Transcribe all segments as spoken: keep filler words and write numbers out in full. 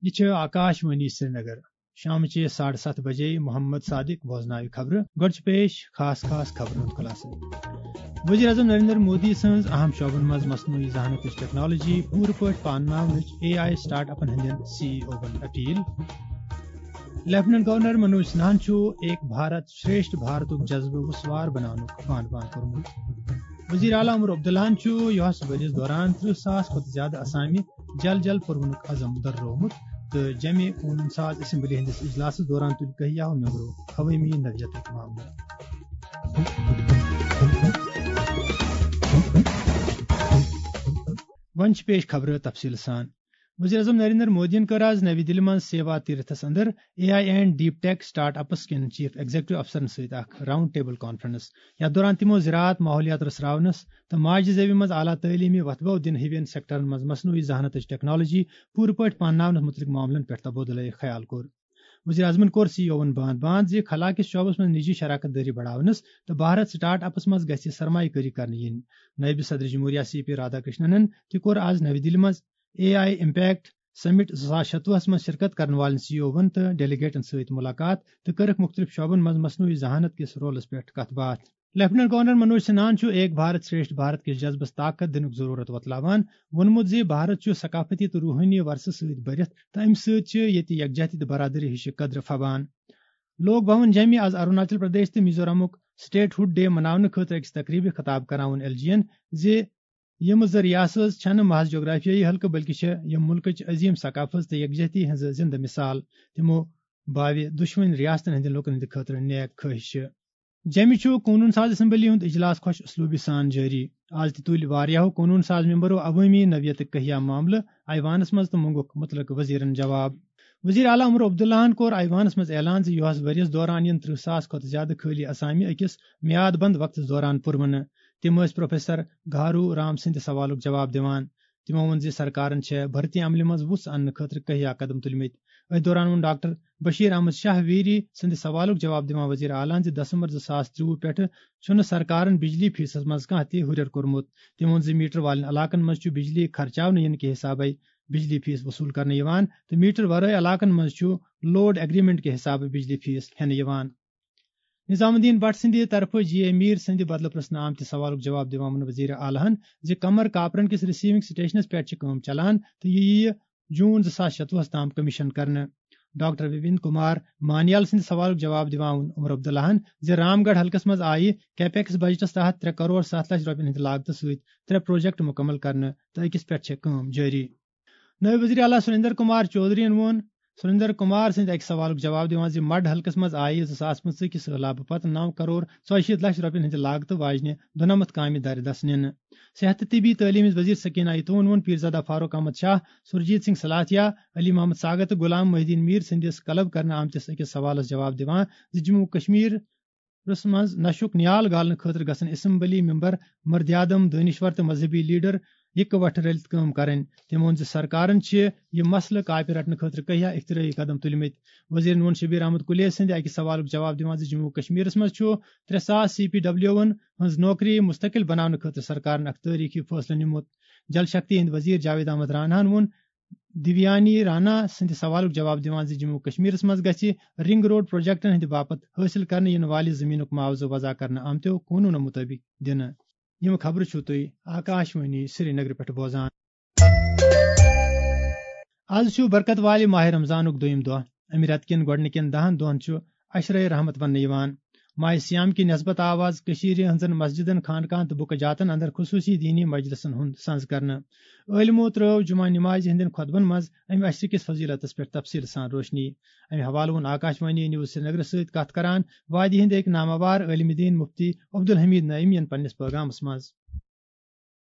یہِ چھِ آکاش وانی سرینگر۔ شامچہِ ساڑٕ ستھ بجے محمد صادق بوزناوِ خبرٕ۔ گۄڈٕ چھِ پیش خاص خاص خبرن ہُنٛد خلاصہٕ۔ وزیر اعظم نریندر مودی سٕنٛز اہم شعبن منٛز مصنوعی ذہانتٕچ ٹیکنالوجی پوٗرٕ پٲٹھۍ پانناونٕچ اے آئی سٹارٹ اپن ہٕنٛدٮ۪ن سی ای اوون اپیل۔ لیفٹیننٹ گورنر منوج سنہاہن چھُ ایک بھارت شریشٹھ بھارتُک جذبہٕ وُسوار بناونُک بان بان کوٚرمُت۔ وزیر اعلیٰ عمر عبداللہن چھُ یُہس ؤرِیس دوران ترٕٛہ ساس کھۄتہٕ زیادٕ اسامہِ جل جل پرونُک عزم دررٲومُت تہٕ جمع قونوٗن ساز اسمبلی ہٕنٛدِس اجلاسس دوران تُلۍ کہیاہو ممبرو عوٲمی نوعیتٕکۍ معاملہٕ۔ وۄنۍ چھِ پیش خبرٕ تفصیٖل سان۔ وزیر اعظم نریندر مودیَن کٔر آز نَوِ دِلہِ منٛز سیوا تیرتھس اندر A I and deep take start ups کٮ۪ن چیف ایگزیکٹو افسرن سۭتۍ اکھ راؤنڈ ٹیبل کانفرنس۔ یتھ دوران تِمو زراعت، ماحولیات رژھراونس تہٕ ماجہِ زیوِ منٛز اعلیٰ تعلیمی وتھبو دِنہٕ ہِوٮ۪ن سیکٹرن منٛز مصنوعی ذہانتٕچ ٹیکنالوجی پوٗرٕ پٲٹھۍ پانناونس مُتعلق معاملن پٮ۪ٹھ تبادلہٕ خیال کوٚر۔ وزیر اعظمن کوٚر سی ای اوون باند باند زِ خلا کِس شعبس منٛز نجی شراکت دٲری بڑاونس تہٕ بھارت سٹارٹ اپس منٛز گژھِ سرمایہ کٲری کرنہٕ یِنۍ۔ نٲیِب صدر جمہوریہ سی پی رادھا کرشننن تہِ کوٚر آز نَوِ دِلہِ منٛز اے آئی امپیکٹ سمٹ زٕ ساس شتوُہس منٛز شرکت کرن والٮ۪ن سی ای اوون تہٕ ڈیلیگیٹن سۭتۍ ملاقات تہٕ کٔرٕکھ مُختٔلِف شعبن منٛز مصنوعی ذہانت کِس رولس پٮ۪ٹھ کتھ باتھ۔ لیفٹیننٹ گورنر منوج سنہاہن چھُ ایک بھارت شریشٹھ بھارت کِس جذبس طاقت دِنُک ضرورت وۄتلاوان۔ ووٚنمُت زِ بھارت چھُ ثقافتی تہٕ روحٲنی ورثہٕ سۭتۍ بٔرِتھ تہٕ امہِ سۭتۍ چھِ ییٚتہِ یکجہتی تہٕ برادری ہِشہِ قدرٕ پھبان۔ لوک بھون جیمہِ آز اروناچل پردیش تہٕ میزورامُک سٹیٹ ہُڈ ڈے مناونہٕ خٲطرٕ أکِس تقریبہِ خطاب کرناوُن ایل جی یَن زِ یِم زٕ ریاستہٕ چھنہٕ محض جغرافیٲیی حلقہٕ بلکہِ چھِ یِم مُلکٕچ عظیٖم ثقافت تہٕ یکجہتی ہٕنٛز زندٕ مثال۔ تِمو باوِ دُشوٕنۍ ریاستن ہٕنٛدٮ۪ن لوٗکن ہٕنٛدِ خٲطرٕ نیک خٲہشہٕ۔ جیمہِ چھُ قونوٗن ساز اسمبلی ہُنٛد اجلاس خۄش اسلوبی سان جٲری۔ آز تہِ تُلۍ واریاہو قونوٗن ساز ممبرو عوٲمی نوعیتٕکۍ کہیا معاملہٕ ایوانس منٛز تہٕ مونٛگُکھ مُتعلقہٕ وزیرن جواب۔ وزیر اعلیٰ عمر عبداللہن کوٚر ایوانس منٛز اعلان زِ یُہس ؤرِیس دوران یِن ترٕٛہ ساس کھۄتہٕ زیادٕ خٲلی اسامہِ أکِس میاد بند وقتس دوران پُرونہٕ۔ تِم ٲسۍ پروفیسر گھارو رام سٕنٛدِ سوالُک جواب دِوان۔ تِمو ووٚن زِ سرکارن چھےٚ بھرتی عملہِ منٛز وُژھ اننہٕ خٲطرٕ کہیا قدم تُلمٕتۍ۔ أتھۍ دوران ووٚن ڈاکٹر بشیر احمد شاہ ویری سٕنٛدِ سوالُک جواب دِوان وزیر اعلیٰ زِ دسمبر زٕ ساس ترٛوُہ پٮ۪ٹھٕ چھُنہٕ سرکارن بجلی فیسس منٛز کانٛہہ تہِ ہُرٮ۪ر کوٚرمُت۔ تٔمۍ ووٚن زِ میٹر والٮ۪ن علاقن منٛز چھُ بجلی خرچاونہٕ یِنہٕ کہِ حسابے بجلی فیس وصوٗل کرنہٕ یِوان تہٕ میٹر ورٲے علاقن منٛز چھُ لوڈ ایگریمنٹ کہِ حسابہٕ بجلی فیس ہٮ۪نہٕ یِوان۔ نظام الدین بٹ سٕنٛدِ طرفہٕ جی اے میر سٕنٛدِ بدلہٕ پرژھنہٕ آمتِس سوالُک جواب دِوان ووٚن وزیر اعلیٰ ہن زِ قمر کاپرن کِس ریسیونگ سٹیشنس پٮ۪ٹھ چھِ کٲم چلان تہٕ یہِ یِیہِ جون زٕ ساس شتوُہس تام کمیشن کرنہٕ۔ ڈاکٹر وپن کمار مانیال سٕنٛدِ سوالُک جواب دِوان ووٚن عمر عبداللہن زِ رام گڑھ حلقس منٛز آیہِ کیپیکس بجٹس تحت ترٛےٚ کرور ستھ لچھ رۄپین ہٕنٛدِ لاگتہٕ سۭتۍ ترٛےٚ پروجیکٹ مُکمل کرنہٕ تہٕ أکِس پٮ۪ٹھ چھےٚ کٲم جٲری۔ نٲیِب وزیر اعلیٰ سریندر کمار چودھرین ووٚن، سریندر کمار سٕنٛدِ اَکہِ سوالُک جواب دِوان زِ مڈ حلقس منٛز آیہِ زٕ ساس پٕنٛژٕہ کہِ سٔہلابہٕ پتہٕ نَو کرور ژۄیہِ شیٖتھ لچھ رۄپین ہٕنٛدِ لاگتہٕ واجنہِ دُنمتھ کامہِ دارِ دست نِنہٕ۔ صحت تہٕ طبی تعلیٖم ہٕنٛز وزیر سکینہ ایتون ووٚن پیرزادہ فاروق احمد شاہ، سرجیت سنگھ سلاتھیا، علی محمد ساگر تہٕ غلام محی الدین میر سٕنٛدِس قلب کرنہٕ آمتِس أکِس سوالس جواب دِوان زِ جموں و کشمیر منٛز نشُک نیال گالنہٕ خٲطرٕ گژھن اسمبلی ممبر، مردیادم، دٲنشور تہٕ مذہبی لیڈر یکہٕ وٹھٕ رٔلِتھ کٲم کرٕنۍ۔ تٔمۍ ووٚن زِ سرکارن چھِ یہِ مسلہٕ کاپہِ رٹنہٕ خٲطرٕ کہیا اختراعی قدم تُلمٕتۍ۔ وزیرن ووٚن شبیر احمد کلیز سٕنٛدِ اکہِ سوالُک جواب دِوان زِ جموں و کشمیرس منٛز چھُ ترٛےٚ ساس سی پی ڈبلیو ون ہٕنٛز نوکری مستقل بناونہٕ خٲطرٕ سرکارن اکھ تٲریخی فٲصلہٕ نیومُت۔ جل شکتی ہٕنٛدۍ وزیر جاوید احمد راناہن ووٚن دیویانی رانا سٕنٛدِ سوالُک جواب دِوان زِ جموں و کشمیرس منٛز گژھِ رنگ روڈ پروجیکٹن ہٕنٛدِ باپتھ حٲصِل کرنہٕ یِنہٕ والہِ زٔمیٖنُک معاوضہٕ وضع کرنہٕ آمتیو قونوٗنو مُطٲبِق دِنہٕ۔ یِم خبرٕ چھِو تُہۍ آکاش وانی سرینگرٕ پٮ۪ٹھ بوزان۔ از چھُ برکت والہِ ماہِ رمضانُک دوٚیِم دۄہ۔ اَمہِ رٮ۪تہٕ کٮ۪ن گۄڈٕنِکٮ۪ن دَہَن دۄہَن چھُ عشرے رحمت وننہٕ یِوان۔ ماہِ صیام کہِ نسبت آو از کٔشیٖرِ ہٕنٛزن مسجدن، خانقاہن تہٕ بُکہٕ جاتن اندر خصوٗصی دینی مجلسن ہُنٛد سنز کرنہٕ۔ عٲلمو ترٲو جمعہ نمازِ ہٕنٛدٮ۪ن خطبن منٛز امہِ عشرٕ کِس فضیلتس پٮ۪ٹھ تفصیل سان روشنی۔ امہِ حوالہٕ ووٚن آکاش وانی نیوز سرینگرس سۭتۍ کتھ کران وادی ہٕنٛدۍ أکۍ ناماوار عٲلمِ دین مفتی عبدالحمید نعیمی ین پننِس پیغامس منٛز۔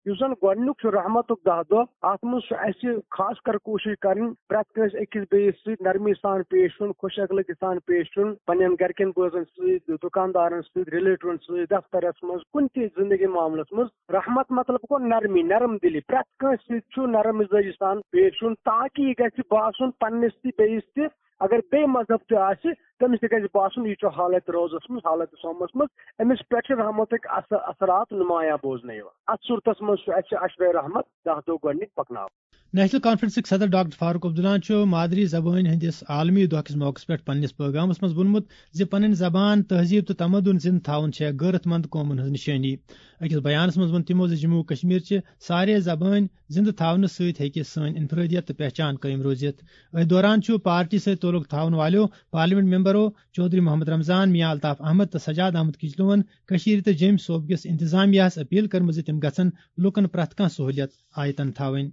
یُس زن گۄڈٕنیُک چھُ رحمتُک دَہ دۄہ، اتھ منٛز چھُ اسہِ خاص کر کوٗشِش کرٕنۍ پرٛٮ۪تھ کٲنٛسہِ أکِس بیٚیِس سۭتۍ نرمی سان پیش یُن، خۄش اخلٲقی سان پیش یُن، پننٮ۪ن گرِکٮ۪ن بٲژن سۭتۍ، دُکاندارن سۭتۍ، ریلیٹیون سۭتۍ، دفترس منٛز، کُنہِ تہِ زندگی معاملس منٛز۔ رحمت مطلب گوٚو نرمی، نرم دلی، پرٛٮ۪تھ کٲنٛسہِ سۭتۍ چھُ نرم مزاجی سان پیش یُن تاکہ یہِ گژھِ باسُن پننِس تہِ بیٚیِس تہِ، اگر بیٚیہِ مذہب تہِ آسہِ، تٔمِس تہِ گژھِ باسُن، یہِ چھُ حالت روزس منٛز، حالت صومس منٛز، أمِس پٮ۪ٹھ چھِ رحمتٕکۍ اث-، اثرات نمایاں بوزنہٕ یِوان۔ اتھ صورتس منٛز چھُ اسہِ عشرے رحمت دَہ دۄہ گۄڈٕنِکۍ پکناوٕنۍ۔ نیشنل کانفرنسٕکۍ صدر ڈاکٹر فاروق عبداللہ چھُ مادری زبٲنۍ ہٕنٛدِس عالمی دۄہ کِس موقعس پٮ۪ٹھ پننِس پٲغامس منٛز ووٚنمُت زِ پنٕنۍ زبان، تہذیٖب تہٕ تمدُن زِنٛدٕ تھاوُن چھےٚ غٲرت مند قومن ہٕنٛز نِشٲنی۔ أکِس بیانس منٛز ووٚن تِمو زِ جموں و کشمیر چہِ سارے زبٲنۍ زِنٛدٕ تھاونہٕ سۭتۍ ہیٚکہِ سٲنۍ انفرٲدیت تہٕ پہچان قٲیِم روٗزِتھ۔ أتھۍ دوران چھُ پارٹی سۭتۍ تعلق تھاوَن والٮ۪و پارلیمنٹ ممبرو چودھری محمد رمضان، میاں الطاف احمد تہٕ سجاد احمد کچلوَن کٔشیٖرِ تہٕ جیٚمۍ صوبہٕ کِس انتظامیہس اپیل کٔرمٕژ زِ تِم گژھن لوٗکَن پرٛٮ۪تھ کانٛہہ سہوٗلیت آیتن تھاوٕنۍ۔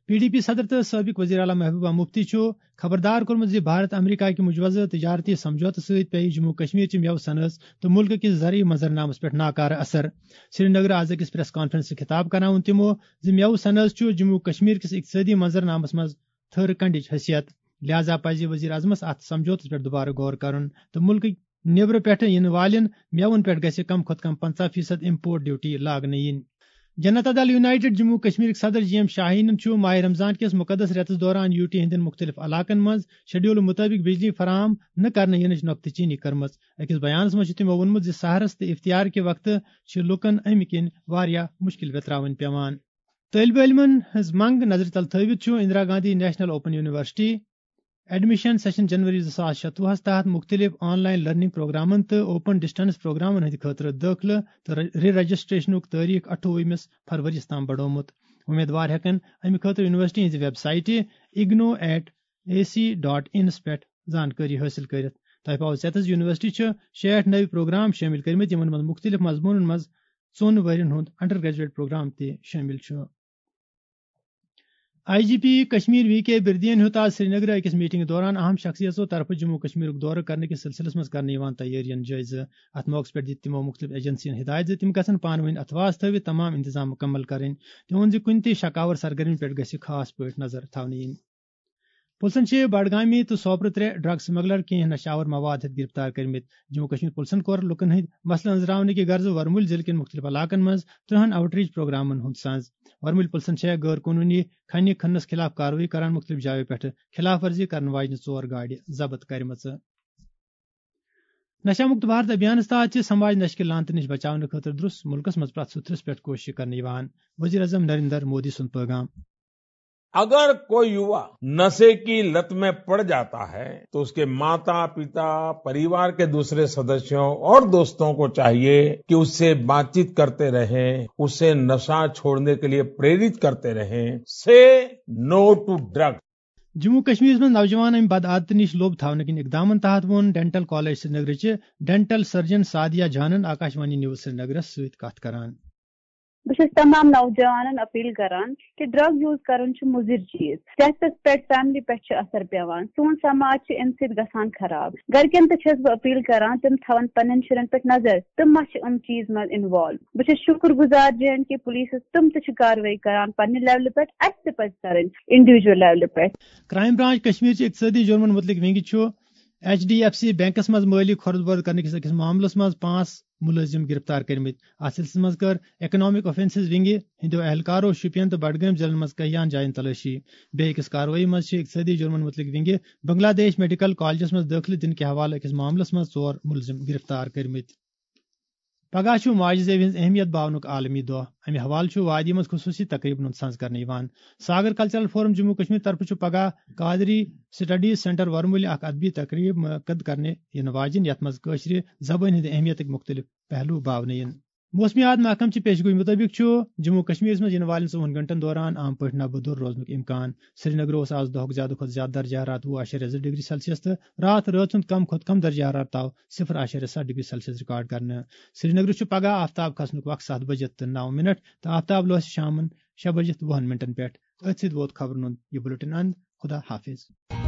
پی ڈی پی صدر تہٕ سٲبق وزیر اعلیٰ محبوبہ مفتی چھُ خبردار کوٚرمُت زِ بھارت امریکہ کہِ مجوزٕ تجارتی سمجھوتہٕ سۭتۍ پیٚیہِ جموں و کشمیر چہِ مٮ۪وٕ صنعت تہٕ مُلکہٕ کِس زرعی منظرنامس پٮ۪ٹھ ناکارٕ اثر۔ سرینگرٕ آز أکِس پریس کانفرنسس خطاب کران ووٚن تِمو زِ مٮ۪وٕ صنعت چھُ جموں و کشمیر کِس اقتصٲدی منظرنامس منٛز تھٔر کنڈٕچ حیثیت، لہذا پزِ وزیر اعظمس اتھ سمجھوتس پٮ۪ٹھ دوبارٕ غور کرُن تہٕ مُلکٕکۍ نیبرٕ پٮ۪ٹھٕ یِنہٕ والٮ۪ن مٮ۪وَن پٮ۪ٹھ گژھِ کم کھۄتہٕ کم پنژاہ فیصد امپورٹ ڈیوٹی لاگنہٕ یِنۍ۔ جنتا دل یونائیٹڈ جموں کشمیرٕکۍ صدر جی ایم شاہینن چھُ ماہ رمضان کِس مقدس رٮ۪تس دوران یو ٹی ہٕنٛدٮ۪ن مُختٔلِف علاقن منٛز شیڈول مُطٲبِق بجلی فراہم نہٕ کرنہٕ یِنٕچ نۄقطہٕ چینی کٔرمٕژ۔ أکِس بیانس منٛز چھُ تِمو ووٚنمُت زِ سحرس تہٕ افطار کہِ وقتہٕ چھِ لوٗکن امہِ کِنۍ واریاہ مُشکِل ویتراوٕنۍ پٮ۪وان۔ طٲلبہِ علمن ہٕنٛز منٛگ نظرِ تل تھٲوِتھ چھُ Indira Gandhi national open university admission session جنوری زٕ ساس شتوُہس تحت مُختٔلِف آن لائن لرننگ پروگرامن تہٕ اوپن ڈسٹنس پروگرامن ہٕنٛدِ خٲطرٕ دٲخلہٕ تہٕ ری رجسٹریشنُک تٲریخ اَٹھووُہمِس فروری یَس تام بڑومُت۔ امیدوار ہٮ۪کن امہِ خٲطرٕ یونیورسٹی ہٕنٛزِ ویب سائٹہِ IGNOU at A C dot انس پٮ۪ٹھ زانکٲری حٲصِل کٔرِتھ۔ تۄہہِ پاوو ژٮ۪تس، یونیورسٹی چھِ شیٹھ نٔوۍ پروگرام شٲمِل کٔرمٕتۍ، یِمن منٛز مُختٔلِف مضموٗنن منٛز ژۄن ؤرین ہُنٛد انڈر گریجویٹ پروگرام تہِ شٲمِل چھُ۔ I G P Kashmir V K بردین ہیوٚت آز سرینگرٕ أکِس میٹنگ دوران اہم شخصیژو طرفہٕ جموں کشمیرُک دورٕ کرنہٕ کِس سلسلس منٛز کرنہٕ یِوان تیٲرین جٲیزٕ۔ اتھ موقعس پٮ۪ٹھ دِتۍ تِمو مُختٔلِف ایجنسین ہدایت زِ تِم گژھن پانہٕ ؤنۍ اتھواس تھٲوِتھ تمام انتظام مُکمل کرٕنۍ۔ تِمو ووٚن زِ کُنہِ تہِ شکاور سرگرمی پٮ۪ٹھ گژھِ خاص پٲٹھۍ نظر تھاونہٕ یِنۍ۔ پُلسن چھِ بڈگامی تہٕ سوپرٕ ترٛےٚ ڈرگ سمگلر کینٛہہ نشہٕ آور مواد ہیٚتھ گرفتار کٔرمٕتۍ۔ جموں کشمیر پُلسن کوٚر لُکن ہٕنٛدۍ مسلہٕ أنٛزراونہٕ کہِ غرضہٕ ورمُلۍ ضلعہٕ کٮ۪ن مُختٔلِف علاقن منٛز ترٕہن آوٹ ریچ پروگرامن ہُنٛد سنز۔ ورمُلۍ پُلسن چھےٚ غٲر قونوٗنی کھنہِ کھننس خلاف کاروٲیی کران مُختٔلِف جایو پٮ۪ٹھٕ خلاف ورزی کرن واجنہِ ژور گاڑِ ضبط کٔرمٕژٕ۔ نشہ مکت بھارت ابھیانس تحت چھِ سماج نشہٕ کہِ لعنتہٕ نِش بچاونہٕ خٲطرٕ درست مُلکس منٛز پرٛٮ۪تھ سُتھرس پٮ۪ٹھ کوٗشش کرنہٕ یِوان۔ وزیر اعظم نریندر مودی سُنٛد پیغام۔ अगर कोई युवा नशे की लत में पड़ जाता है, तो उसके माता, पिता, परिवार के दूसरे सदस्यों और दोस्तों को चाहिए कि उससे बातचीत करते रहें, उसे नशा छोड़ने के लिए प्रेरित करते रहें। Say no to drug. Jammu و کشمیرس منٛز نوجوان امہِ بد عادتہٕ نِش لوٚب تھاونہٕ کِنۍ اقدامن تحت ووٚن ڈینٹل کالج سرینگرٕچہِ ڈینٹل سرجن سعدیہ جانن آکاشوانی نیوز سرینگرس سۭتۍ کتھ کران۔ بہٕ چھَس تمام نوجوانن اپیل کران کہِ ڈرگ یوز کرُن چھُ مُضر چیز، صحتس پٮ۪ٹھ، فیملی پٮ۪ٹھ چھُ اثر پیوان، سون سماج چھُ امہِ سۭتۍ گژھان خراب۔ گرِکٮ۪ن تہِ چھَس بہٕ اپیل کران تِم تھاون پننٮ۪ن شُرٮ۪ن پٮ۪ٹھ نظر تِم ما چھِ یِم چیز منٛز انوالو۔ بہٕ چھَس شُکر گُزار جے اینڈ کے پُلیٖسس، تِم تہِ چھِ کاروٲیی کران پننہِ لیولہِ پٮ۪ٹھ، اَسہِ تہِ پَزِ کرٕنۍ انڈیویجول لیولہِ پٮ۪ٹھ۔ کرائم برانچ کشمیر چہِ اقتصٲدی جُرمن مُتعلق ونگہِ چھُ H D F C banks منٛز مٲلی کھۄرد بۄرد کرنہٕ کِس أکِس معاملس منٛز پانٛژھ مُلٲزِم گرفتار کٔرمٕتۍ۔ اتھ سلسلس منٛز کٔر اکنامک اوفینسز ونگہِ ہٕنٛدیو اہلکارو شُپین تہٕ بڈگٲمۍ ضلعن منٛز کیاہن جاین تلٲشی۔ بیٚیہِ أکِس کاروٲیی منٛز چھِ اقتصٲدی جُرمن مُتعلق ونگہِ بنگلہ دیش میڈیکل کالجس منٛز دٲخلہٕ دِنہٕ کہِ حوالہٕ أکِس معاملس منٛز ژور مُلزِم گرفتار کٔرمٕتۍ۔ پگاہ چھُ ماجہِ زیوِ ہٕنٛز اہمیت باونُک عالمی دۄہ۔ امہِ حوالہٕ چھُ وادی منٛز خصوٗصی تقریبن ہُنٛد سنز کرنہٕ یِوان۔ ساگر کلچرل فورم جموں کشمیر طرفہٕ چھُ پگاہ قادری سٹڈیز سینٹر ورمُلہِ اکھ ادبی تقریب منعقد کرنہٕ یِنہٕ واجِنۍ، یتھ منٛز کٲشرِ زبٲنۍ ہٕنٛدِ اہمیتٕکۍ مُختٔلِف پہلو باونہٕ یِن۔ موسمیات محکمہٕ چہِ پیشگوئی مُطٲبِق چھُ جموں کشمیرس منٛز یِنہٕ والٮ۪ن ژوٚوُہن گھنٹن دوران عام پٲٹھۍ نبہٕ دوٚر روزنُک امکان۔ سرینگر اوس آز دۄہُک زیادٕ کھۄتہٕ زیادٕ درجہ حرارت وُہ اعشاریہ زٕ ڈگری سیلسیس تہٕ راتھ رٲژ ہُنٛد کم کھۄتہٕ کم درجہ حرارت آو صفر اعشاریہ ستھ ڈگری سیلسیس ریکارڈ کرنہٕ۔ سرینگرٕ چھُ پگہہ آفتاب کھسنُک وقت ستھ بجِتھ تہٕ نو منٹ تہٕ آفتاب لوسہِ شامن شےٚ بجِتھ وُہن منٹن پٮ۪ٹھ۔ أتھۍ سۭتۍ ووت خبرن ہُنٛد یہِ بُلٹن اند۔ خدا حافظ۔